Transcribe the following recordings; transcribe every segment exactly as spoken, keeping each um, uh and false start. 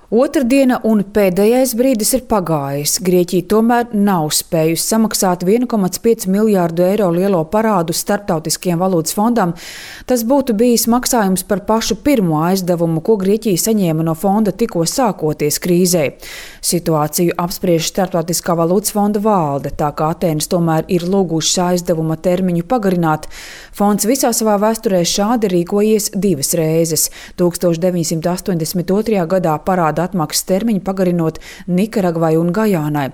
Otrdiena un pēdējais brīdis ir pagājis. Grieķija tomēr nav spējusi samaksāt viena komata pieci miljārdu eiro lielo parādu Starptautiskajam valūtas fondam. Tas būtu bijis maksājums par pašu pirmo aizdevumu, ko Grieķija saņēma no fonda tikko sākoties krīzei. Situāciju apspriež Starptautiskā valūtas fonda valde, tā kā Atēnas tomēr ir lūgušas aizdevuma termiņu pagarināt. Fonds visā savā vēsturē šādi rīkojies divas reizes. tūkstoš deviņsimt astoņdesmit otrajā gadā parāda atmaksas termiņu pagarinot Nikaragvai un Gajānai.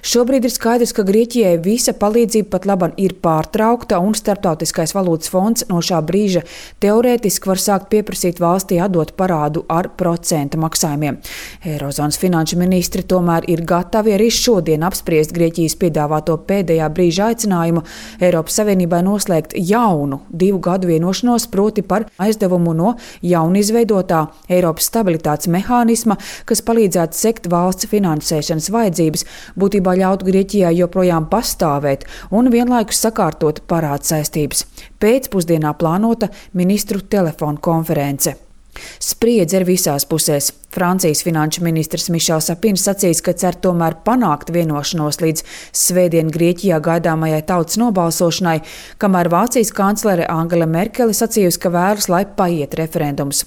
Šobrīd ir skaidrs, ka Grieķijai visa palīdzība pat laban ir pārtraukta un Starptautiskais valūtas fonds no šā brīža teorētiski var sākt pieprasīt valstī atdot parādu ar procenta maksājumiem. Eirozonas finanšu ministri tomēr ir gatavi arī šodien apspriest Grieķijas piedāvāto pēdējā brīža aicinājumu Eiropas Savienībai noslēgt jaunu divu gadu vienošanos, proti par aizdevumu no jaunizveidotā Eiropas stabilitātes mehānisma, kas palīdzētu sekt valsts finansēšanas vajadzības, būtībā ļautu Grieķijai joprojām pastāvēt un vienlaikus sakārtot parādu saistības. Pēcpusdienā plānota ministru telefonu konference. Spriedze ir visās pusēs. Francijas finanšu ministrs Mišels Sapins sacīs, ka cer tomēr panākt vienošanos līdz svētdien Grieķijā gaidāmajai tautas nobalsošanai, kamēr Vācijas kanclere Angela Merkele sacījusi, ka vēlas, lai paiet referendums.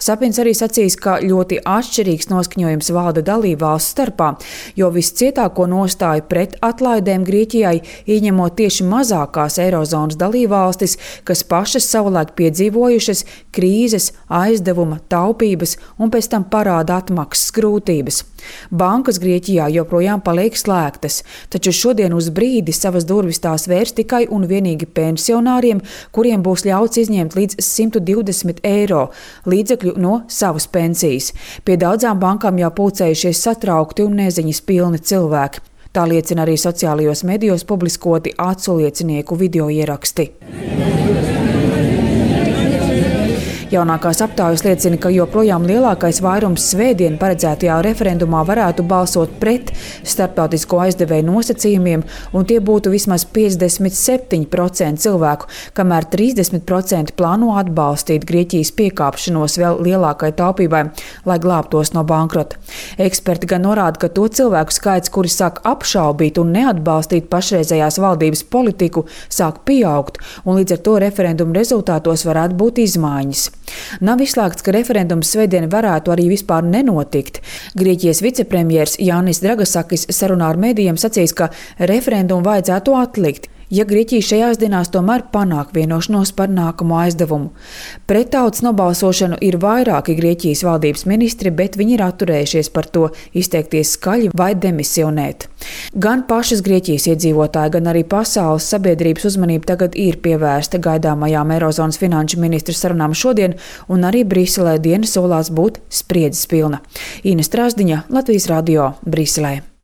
Sapins arī sacīs, ka ļoti atšķirīgs noskaņojums valda dalībvalstu starpā, jo viscietāko nostāju pret atlaidēm Grieķijai ieņemot tieši mazākās Eirozonas dalībvalstis, kas pašas savulaik piedzīvojušas krīzes, aizdevuma, taupības un pēc tam parāda atmaksas grūtības. Bankas Grieķijā joprojām paliek slēgtas, taču šodien uz brīdi savas durvis tās vērs tikai un vienīgi pensionāriem, kuriem būs ļauts izņemt līdz simt divdesmit eiro līdzekļu no savas pensijas. Pie daudzām bankām jau pulcējušies satraukti un neziņas pilni cilvēki. Tā liecina arī sociālajos medijos publiskoti aculiecinieku video ieraksti. Jaunākās aptaujas liecina, ka joprojām lielākais vairums svētdien paredzētajā referendumā varētu balsot pret starptautisko aizdevēju nosacījumiem, un tie būtu vismaz piecdesmit septiņi procenti cilvēku, kamēr trīsdesmit procenti plāno atbalstīt Grieķijas piekāpšanos vēl lielākai taupībai, lai glābtos no bankrota. Eksperti gan norāda, ka to cilvēku skaits, kuri sāk apšaubīt un neatbalstīt pašreizējās valdības politiku, sāk pieaugt, un līdz ar to referendumu rezultātos varētu būt izmaiņas. Nav izslēgts, ka referendums svētdien varētu arī vispār nenotikt. Grieķijas vicepremjers Jānis Dragasakis sarunā ar medijiem sacīs, ka referendumu vajadzētu atlikt, ja Grieķija šajās dienās tomēr panāk vienošanos par nākamo aizdevumu. Pret tautas nobalsošanu ir vairāki Grieķijas valdības ministri, bet viņi ir atturējušies par to izteikties skaļi vai demisionēt. Gan pašas Grieķijas iedzīvotāji, gan arī pasaules sabiedrības uzmanība tagad ir pievērsta gaidāmajām Eirozonas finanšu ministru sarunām šodien, un arī Briselē diena solās būt spriedzes pilna. Ina Strasdiņa, Latvijas radio, Briselē.